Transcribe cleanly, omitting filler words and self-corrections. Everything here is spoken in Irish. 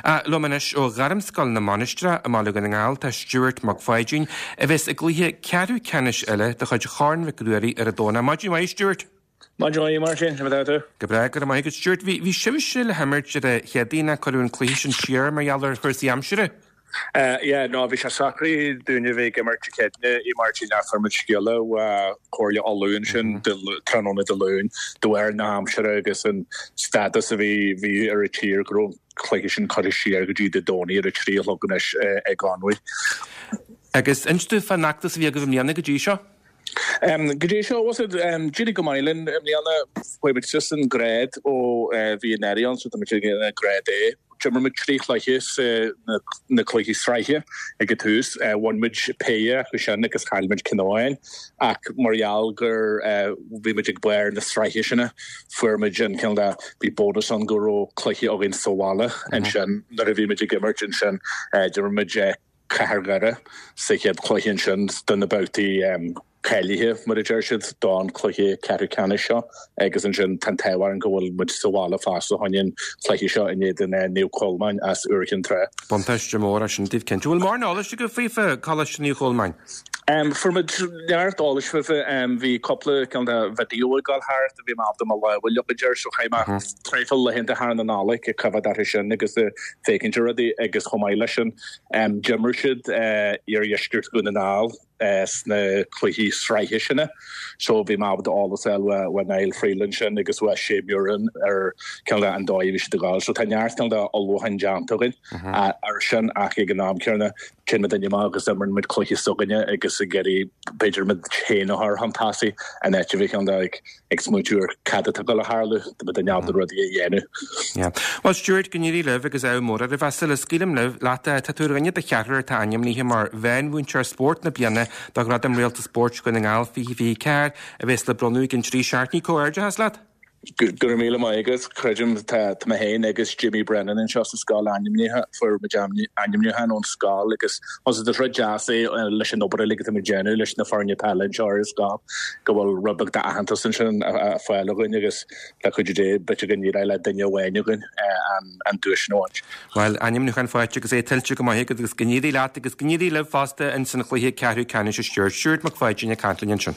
Liom anois ó Ghairmscoil na Mainistreach i mBaile Dhún na nGall tá Stuart Mac Pháidín, a bheas i gcluiche ceathrú ceannais eile de chuid Chorn Mhic Ruairí ar an Domhnach. Maidin mhaith, Stuart! Maidin mhaith, Máirtín, conas atá tú? Go breá, go raibh maith agat, Stuart. Bhí, bhí sibhse le himirt ar an Chéadaoin ach cuireadh an cluiche sin siar mar gheall ar chúrsaí aimsire. Yeah, no, bhí sé socraithe dúinne a bheith ag imirt Dé Céadaoine, a Mháirtín, ach fuair muid scéala ó Chomhairle Uladh ansin tráthnóna Dé Luain de bharr na haimsire agus an stádas a bhí, bhí ar an tír go raibh an cluiche sin curtha siar go dtí Dé Domhnaigh ar a 3 a chlog anois i gConmhaigh. Agus inis dúinn fán fheachtas a bhí agaibh i mbliana go dtí seo. Go dtí seo, bhuel, d'éirigh go maith linn i mbliana. Chuaigh muid suas an grád ó bhí anuraidh ann, so tá muid ag grád A. D'imir muid 3 chluiche sa na cluichí sraithe ag an tús. Bhain muid péire acu sin agus chaill muid ceann amháin. Ach mar gheall gur bhí muid ag barr na sraithe sin, fuair muid an cineál de, bhí bónas ann go raibh cluiche againn sa bhaile ansin nuair a bhí muid ag imirt ansin. D'imir muid Cathair Dhoire sa chéad chluiche ansin do na babhtaí cáilithe, mar a deir siad, don chluiche ceathrú ceannais seo agus ansin tá an t-ádh orainn go bhfuil muid sa bhaile fosta chun an chluiche seo in éadan Naomh Colmáin as Iúr Chinn Trá. Buntáiste mór é sin daoibh cinnte. Bhfuil mórán eolais agaibh faofa, Coláiste Naomh Cholmáin? Fuair muid neart eolais faofa. Bhí cúpla cineál de video ag dul thart a bhí mé ábalta mo lámh a leagan air so chaith mé traidhfil laethanta thar na Nollag ag coimhéad orthu sin agus ag féachaint ar rudaí agus chomh maith leis sin D'imir siad Iardheisceart Dhún na nGall sna cluichí sraithe sin so bhí mé ábalta eolas a fháil ó Niall Freeland sin agus ó Shay Murin ar cineál de an dóigh a bhí siad ag gabháil. So tá neart cineál de ullmhúcháin déanta againn ar sin ach ag an am céanna téann muid amach agus imríonn muid cluiche s'againne agus ag iarraidh b'fhéidir muid féin a chur chun tosaigh in áit a bheith cineál de ag ag smaointiú ar cad atá ag dul a tharlú, tá muid ábalta rudaí a dhéanamh. Yeah. Bhuel Stuart, go n-éirí libh agus ádh mór oraibh. Sula scaoilim libh, leat, tá tú ar dhuine de cheathrar atá ainmnithe mar Mheánmhúinteoir Spóirt na Bliana do Ghradaim Réalta Spóirt Dhún na nGall 2024 a bheas le bronnadh i gceann 3 seachtainí. Comhghairdeachas leat! Go raibh míle maith agat. Creidim, tá mé féin agus Jimmy Brennan anseo sa scoil ainmnithe, fuair muid ainmniúchán ón scoil agus is rud deas é leis an obair uilig atá muid ag déanamh leis na foirne peile anseo ar an scoil go bhfuil rud beag d'aitheantas ansin á fáil againn agus le cuidiú Dé b'fhéidir go n-éireoidh le duine amháin againn an duais sin a bhaint. Bhuel, ainmniúchán faighte agus é tuillte go maith agat agus go n-éirí leat agus go n-éirí libh fosta ins an chluiche ceathrú ceannais a Stuart. Stuart Mac Pháidín ag caint linn ansin.